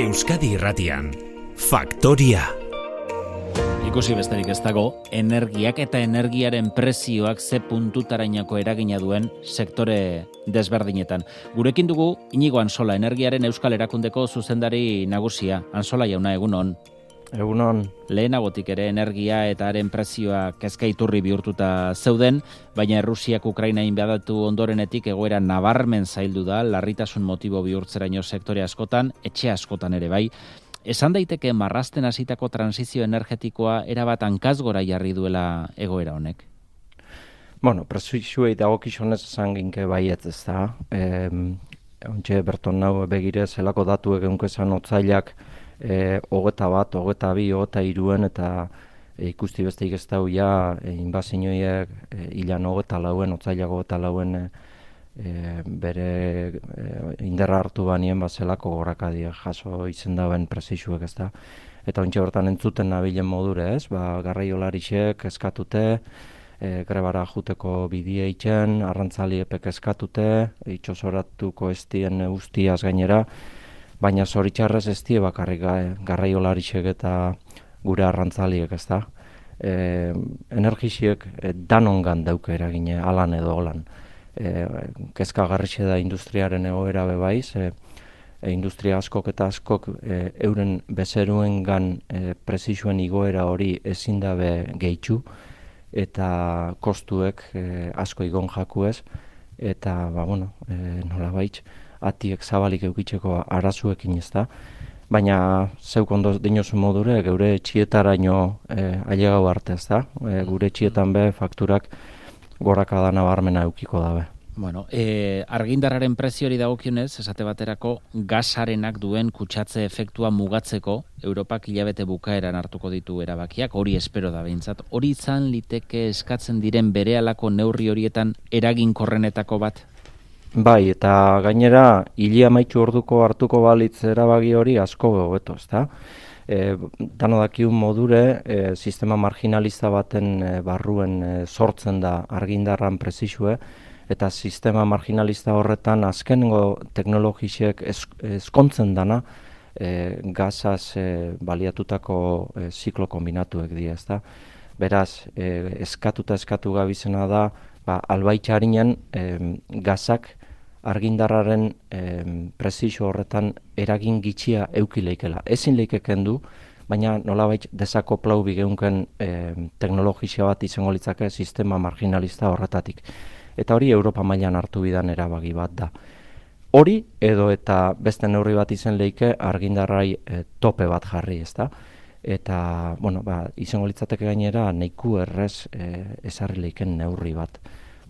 Euskadi Irratian, Faktoria. Ikusi besterik ez dago, energiak eta energiaren prezioak ze puntutarainako eragina duen sektore desberdinetan. Gurekin dugu Iñigo Ansola, energiaren Euskal Erakundeko zuzendari nagusia. Ansola jauna, egunon. Egunon. Lehenagotik ere energia eta haren prezioa kezka iturri bihurtuta zeuden, baina Errusiak Ukraina inbadatu ondorenetik egoera nabarmen zaildu da, larritasun motibo bihurtzeraino sektore askotan, etxe askotan ere bai. Esan daiteke marrazten hasitako transizio energetikoa erabat hankazgora jarri duela egoera honek? Bueno, prezioei dagokionez esan ginke baietz, ez da. Ontxe berton nau begire zelako datu egeunko esan otzailak 21, 22, 23 eta ikusti besteik ez dau ja inbazinoiek hilan 24, otzailak 24 bere inderra hartu banien zelako gorakadia jaso izen dauen prezisuek, ez da. Eta ontxe bertan entzuten nabilen modure, ez? Garraiolarixek eskatute, grebara juteko bidie itxen, arrantzaliepek eskatute, itxosoratuko estien ustiaz gainera, baina zoritxarrez ez die bakarrik garraiolarixek eta gure arrantzaliek, ez da. Energixiek danongan dauke eragine, alan edo holan. Kezkagarrixe da industriaren egoera bebaiz, industria askok eta askok euren bezeruengan prezisuen igoera hori ezin dabe gehitxu eta kostuek asko igon jakuez eta nola baitz atiek zabalik eukitzeko arazuekin ez da. Baina zeuk ondo dinozu modure geure txietaraino ailegau arte ez da. Gure txietan be fakturak gorakada nabarmena eukiko dabe. Bueno, argindarraren preziori dagokionez, esate baterako gasarenak duen kutsatze efektua mugatzeko Europak hilabete bukaeran hartuko ditu erabakiak, hori espero da behintzat. Hori izan liteke eskatzen diren berehalako neurri horietan eraginkorrenetako bat? Bai, eta gainera hile amaitxu orduko hartuko balitz erabaki hori asko hobeto, ezta? Dano dakiun modure, sistema marginalista baten barruen sortzen da argindarran prezisue, eta sistema marginalista horretan azkenengo teknologisek eskontzen dana gazaz baliatutako ziklo kombinatuek dira, ezta? Beraz, eskatu gabizena da, albaitxarinen gazak argindarraren prezisio horretan eragin gitxia eukileikela. Ezin leikeken du, baina nolabait desakoplau bigeunken teknologizia bat izango litzake sistema marginalista horretatik. Eta hori Europa mailan hartu bidan erabaki bat da. Hori edo eta beste neurri bat izen leike argindarrai tope bat jarri, ezta? Eta, izango litzateke gainera neiku errez ezarri leiken neurri bat.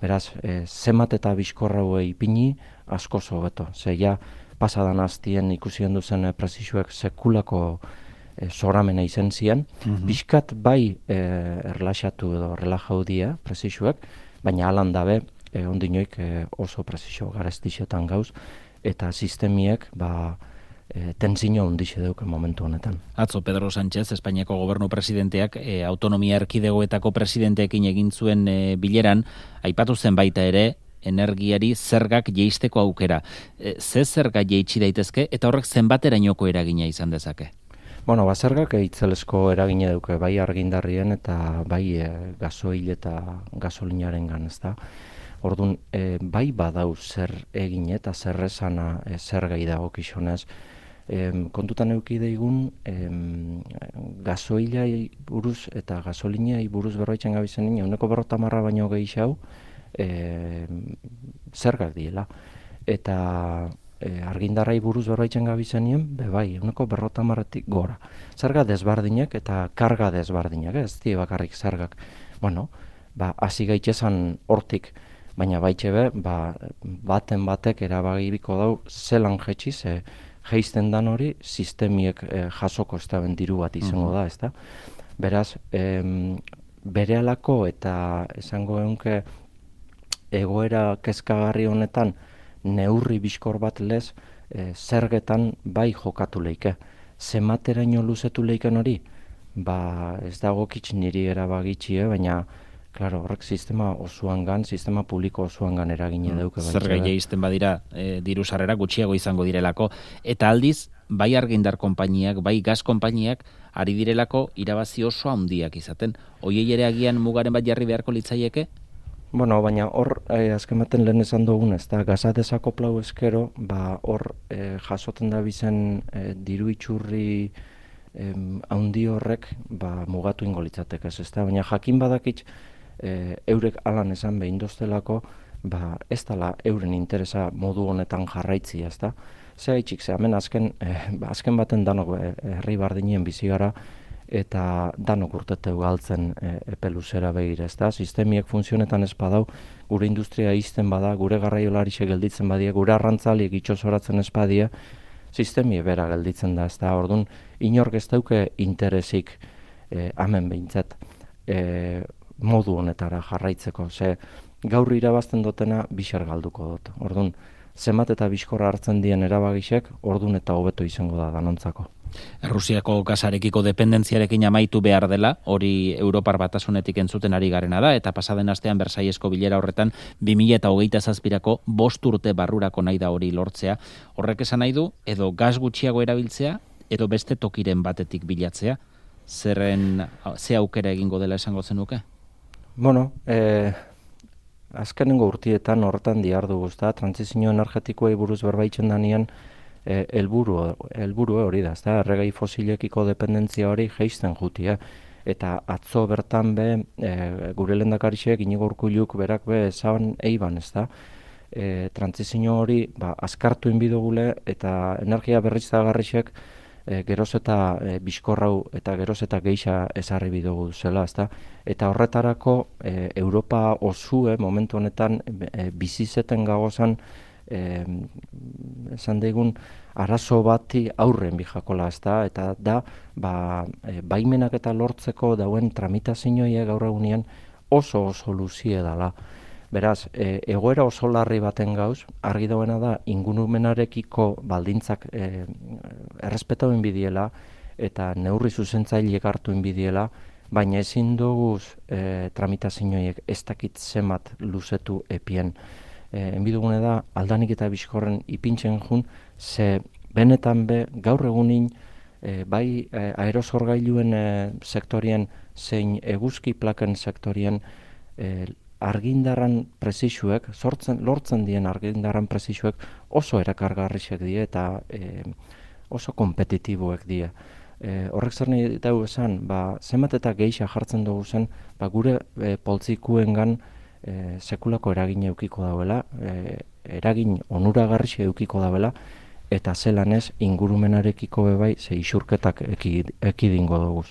Beraz, zemat eta bizkorra ipini asko hobeto. Zeia, pasadan aztien ikusien duzen prezisuek sekulako zoramena izen ziren. Bizkat bai erlaxatu edo relajau die prezisuek, baina alan dabe ondinoik oso prezisio garestixetan gauz, eta sistemiek tensio handixe deuke momentu honetan. Atzo Pedro Sánchez, Espainiako gobernu presidenteak, autonomia erkidegoetako presidenteekin egin zuen bileran, aipatu zen baita ere, energiari zergak jeisteko aukera. Ze zerga jeitsi daitezke eta horrek zenbaterainoko eragina izan dezake? Zergak itzelesko eragina duke, bai argindarrien eta bai gasoil eta gasolinaren gan, ezta. Orduan, bai badau zer egin eta zer esana zergai dagokionez. Kontutan eduki daigun gasoilai buruz eta gasolinai buruz berroitzen gabizenin, 50% baino gehiago zergak diela. Eta argindarrai buruz berroitzen gabizenien, bai, 50%tik gora. Zerga desbardinak eta karga desbardinak, ez die bakarrik zergak. Hasi gaitezan hortik, baina baitxe baten batek erabagibiko dau zelan jetxiz, geisten dan hori sistemiek jasoko ez da diru bat izango da, ezta? Beraz, berehalako eta esango egunke egoera kezkagarri honetan neurri bizkor bat lez zergetan bai jokatu leike. Zemateraino luzetu leiken hori? Ez dago kitz niri erabagitxie, baina Claro, horrek sistema osoangan, sistema publiko osoangan eragine dauke. Zerga jaisten badira diru sarrera gutxiago izango direlako. Eta aldiz, bai argindar konpainiak, bai gaz konpainiak, ari direlako irabazi oso handiak izaten. Hoiei ere agian mugaren bat jarri beharko litzaieke? Bueno, baina hor, azken baten lehen esan dugun, ez da, gaza desakoplau eskero, hor jasoten da bizen diru itxurri haundi horrek mugatu ingo litzatek ez da, baina jakin badakit eurek alan esan behin doztelako, ez dela euren interesa modu honetan jarraitzia, ez da. Zea itxik, hemen azken baten danok herri bardinien bizi gara, eta danok urteteu galtzen epe luzera begira, ez da. Sistemiek funtzionetan ez badau, gure industria izten bada, gure garraiolarixe gelditzen badia, gure arrantzaliek itxosoratzen ez badia, sistemie bera gelditzen da, ez da. Orduan, inork ez dauke interesik hemen behintzat modu honetara jarraitzeko. Ze gaur irabazten dutena bixar galduko dut. Orduan, zenbat eta bizkorra hartzen dien erabagisek, orduan eta hobeto izango da danontzako. Errusiako gasarekiko dependentziarekin amaitu behar dela, hori Europar Batasunetik entzuten ari garena da, eta pasaden astean Bersailesko bilera horretan 2027ko 5 urte barrurako nahi da hori lortzea. Horrek esan nahi du, edo gas gutxiago erabiltzea, edo beste tokiren batetik bilatzea. Ze aukera egingo dela esango zenuke? Bueno, azkenengo urtietan horretan dihardugu, ezta, trantsizio energetikoei buruz berbaitzen danean helburu hori da, ezta, erregai fosilekiko dependentzia hori jeisten jutia. Eta atzo bertan gure lehendakariak Inigo Urkulluk berak esan eiban, ezta, trantsizio hori azkartu inbidogule eta energia berriztagarriak geroz eta bizkorrau eta geroz eta geixa ezarri bidugu zela, ezta? Eta horretarako Europa osue momentu honetan bizizeten gagozan esan daigun arazo bati aurren bijakola, ezta? Eta da baimenak eta lortzeko dauen tramitazioia gaur egunean oso luzie dala. Beraz, egoera oso larri baten gauz, argi dauena da ingurumenarekiko baldintzak errespetatu inbidiela eta neurri zuzentzaileek hartu inbidiela, baina ezin duguz tramitazioiek ez dakit zenbat luzetu epien. Enbidugune da aldanik eta bizkorren ipintzen jun, ze benetan gaur egunin bai aerosorgailuen sektorien zein eguzki plaken sektorien argindarran prezisuek, lortzen dien argindarran prezisuek oso erakargarriak die eta oso kompetitiboek die. Horrek zer nahi dugu esan, zenbat eta geixa jartzen dugu zen, gure poltsikuengan sekulako eragin eukiko dauela, eragin onuragarri eukiko dauela, eta zelan ez ingurumenarekiko bebai ze isurketak ekidingo dugu.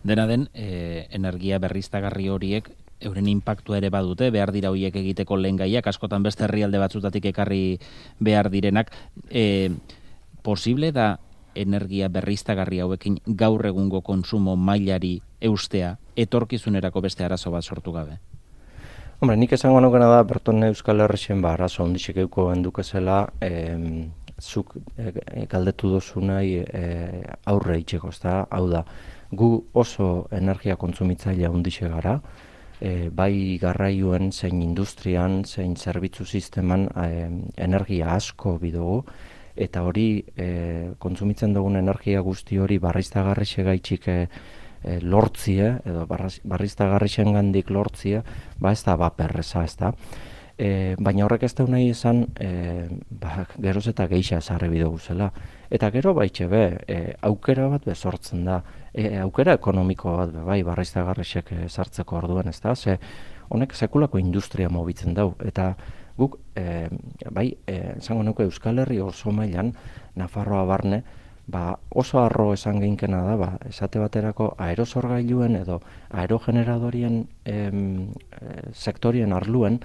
Dena den, energia berriztagarri horiek euren inpaktua ere badute, behar dira horiek egiteko lehengaiak, askotan beste herrialde batzutatik ekarri behar direnak. Posible da energia berriztagarri hauekin gaur egungo kontsumo mailari eustea, etorkizunerako beste arazo bat sortu gabe? Hombre, nik esango nukena da, berton Euskal Herrixen arazo ondixek euko endukezela, zuk galdetu dozu nahi aurre itxeko, hau da, gu oso energia kontsumitzailea ondixe gara, bai garraioen, zein industrian, zein zerbitzu sisteman energia asko bidugu, eta hori kontsumitzen dugun energia guzti hori barriztagarrixe gaitxik lortzie, edo barriztagarrixen gandik lortzie, ez da baperreza, ez da. Baina horrek ez da nahi izan, geroz eta geixa esarri bidugu zela. Eta gero baitxe aukera bat sortzen da, aukera ekonomiko bat bai barriztagarrixek sartzeko orduan, ez da, ze honek sekulako industria mobitzen dau, eta guk, esango nuke Euskal Herri oso mailan, Nafarroa barne, oso arro esan geinkena da, esate baterako aerosorgailuen edo aerogeneradorien sektorien arluen,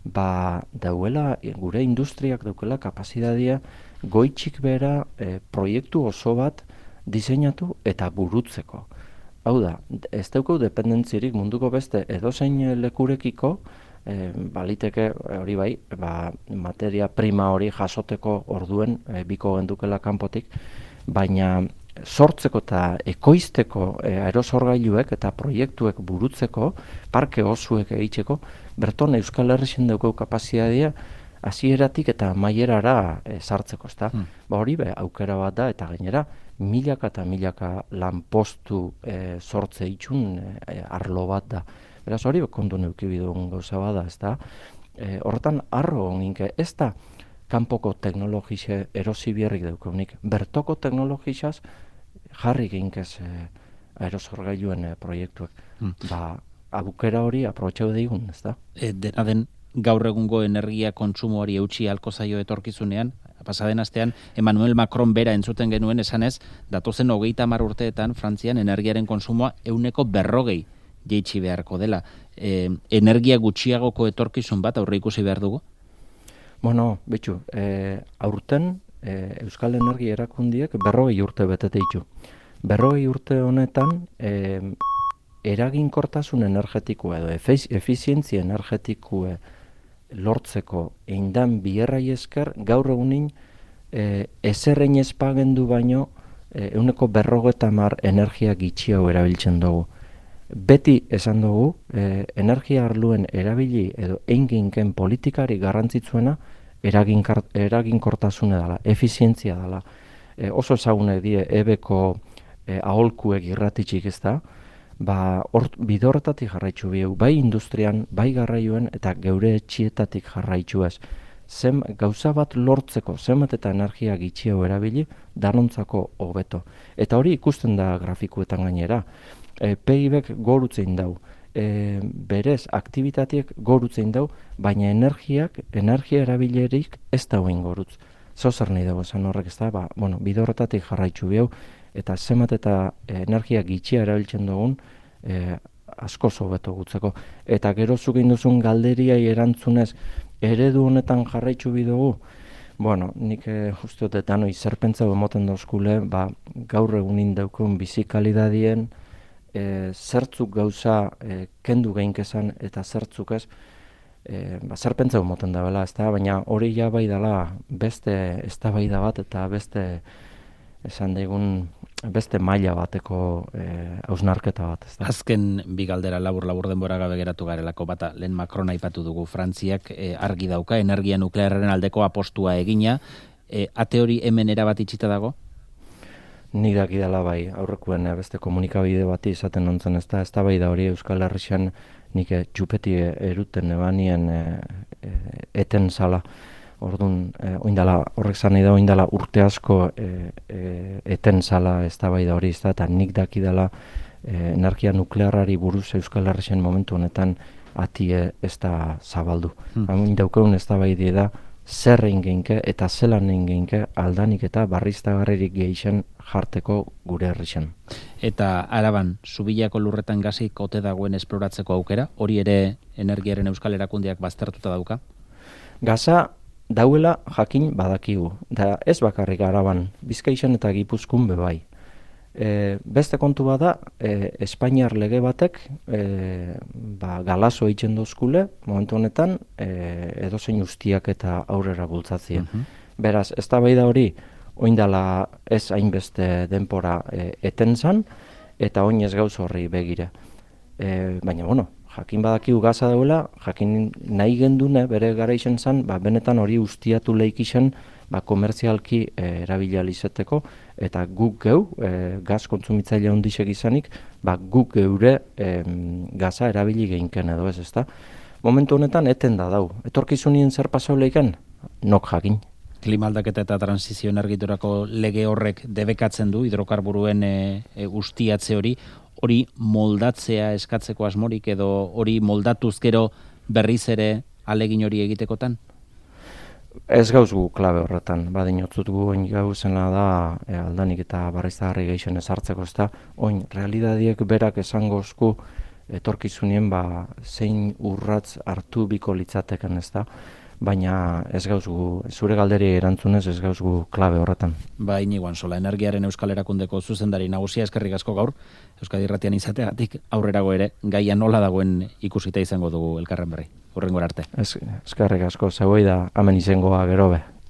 dauela, gure industriak daukela kapazitatea goitxik bera proiektu oso bat diseinatu eta burutzeko. Hau da, ez daukau dependentzirik munduko beste edozein lekurekiko, baliteke hori bai, materia prima hori jasoteko orduen biko gendukela kanpotik, baina sortzeko eta ekoizteko aerosorgailuek eta proiektuek burutzeko, parke osuek egiteko, berton Euskal Herrixen daukau kapazitatea hasieratik eta amaierara sartzeko, ezta? Ba hori aukera bat da, eta gainera milaka eta milaka lanpostu sortze itxun arlo bat da. Beraz hori kontu neuki bidun gauza bada, ezta? Horretan arro ginke, ez da kanpoko teknologixe erosi bierrik daukonik, bertoko teknologixaz jarri ginkez aerosorgailuen proiektuak. Ba, abukera hori aprobetxau deigun, ez da? Dena den gaur egungo energia kontsumoari eutxi halko zaio etorkizunean, pasaden astean Emmanuel Macron bera entzuten genuen esanez, datozen 30 urteetan Frantzian energiaren konsumoa 140 jeitsi beharko dela. Energia gutxiagoko etorkizun bat aurre ikusi behar dugu? Bueno, betxu, aurten Euskal Energia Erakundiek 40 urte betete ditu. 40 urte honetan eraginkortasun energetikoa edo efizientzia energetikoa lortzeko eindan bierrai esker gaur egunin ezerrein ezpagendu baino 150 energia gitxiago erabiltzen dugu. Beti esan dugu, energia arluen erabili edo einginken politikari garrantzitsuena eraginkortasune dela, efizientzia dela. Oso ezagune die ebeko aholkuek irratitxik ez da, ba, bidorretatik jarraitzu bieu, bai industrian, bai garraioen eta geure etxietatik jarraitzu ez. Gauza bat lortzeko, zenbat eta energia gitxiago erabili, danontzako hobeto. Eta hori ikusten da grafikuetan gainera. PIB-ek gorutzein dau, berez aktibitateak gorutzein dau, baina energia erabilerik ez dauen gorutz. Zozer nahi dago esan horrek ez da, ba, bueno, bidorretatik jarraitzu bieu, eta zenbat eta energia gitxia erabiltzen dugun, asko hobeto gutzeko. Eta gero zuk induzun galderiai erantzunez, eredu honetan jarraitzu bidugu, bueno, nik uste dut eta noi zerpentza emoten dauzkule, ba, gaur egunin daukun bizikalidadien, zertzuk gauza kendu geinkezan eta zertzuk ez, zerpentza emoten da bela, baina hori ja bai dela beste eztabaida bat eta beste esan daigun beste maila bateko hausnarketa bat. Azken bi galdera labur denbora gabe geratu garelako bata, lehen Macron aipatu dugu, Frantziak argi dauka energia nuklearraren aldeko apostua egina, ate hori hemen erabat itxita dago? Nik dakidala bai, aurrekuen beste komunikabide bati izaten nontzen ez da bai da hori Euskal Herrixan nik txupeti eruten ebanien eten zala. Orduan, horrek zan nahi da, oindala urte asko eten zala ez da bai da hori, eta nik dakidala energia nuklearrari buruz Euskal Herrixen momentu honetan ati ez da zabaldu. Daukeun ez da bai da, zer egin geinke eta zelan egin geinke aldanik eta barriztagarririk gehixen jarteko gure herrixen. Eta Araban, Zubilako lurretan gazik ote dagoen esploratzeko aukera, hori ere energiaren Euskal Erakundeak baztertuta dauka? Gaza dauela jakin badakigu, da ez bakarrik Araban, Bizkaixan eta Gipuzkoan bebai. Beste kontu bada, Espainiar lege batek galazo eitzen dozkule, momentu honetan, edozein ustiak eta aurrera bultzatzien. Beraz, ez da hori, oindala ez hainbeste denpora eten zan, eta oin ez gauz horri begire. Baina, bueno, jakin badakigu Gaza dauela, jakin nahi gendune bere gara izen zan, benetan hori ustiatu lehik izen, komertzialki erabilializeteko, eta guk geu, gaz kontsumitzaile ondisek izanik, guk geure gaza erabili geinken edo ez da. Momentu honetan eten da dau. Etorkizunien zer pasau leiken? Nok jakin. Klimaldaketa eta transizio energiturako lege horrek debekatzen du hidrokarburuen ustiatze hori moldatzea eskatzeko asmorik edo hori moldatuz gero berriz ere alegin hori egitekotan? Ez gauz gu klabe horretan, badinotzut gu oin gauzena da aldanik eta barriztagarri gehixen ezartzeko ez da, oin realidadiek berak esangozku etorkizunien zein urratz hartu biko litzateken ez da, baina ez gauz gu, zure galderi erantzunez ez gauz gu klabe horretan. Inigo Antsola, Energiaren Euskal Erakundeko zuzendari nagusia, eskerrik asko gaur, Euskadi Irratian izateagatik aurrerago ere gaia nola dagoen ikusita izango dugu elkarren berri. Hurrengora arte. Eskerrik asko, zeuei da, hemen izangoa gero be.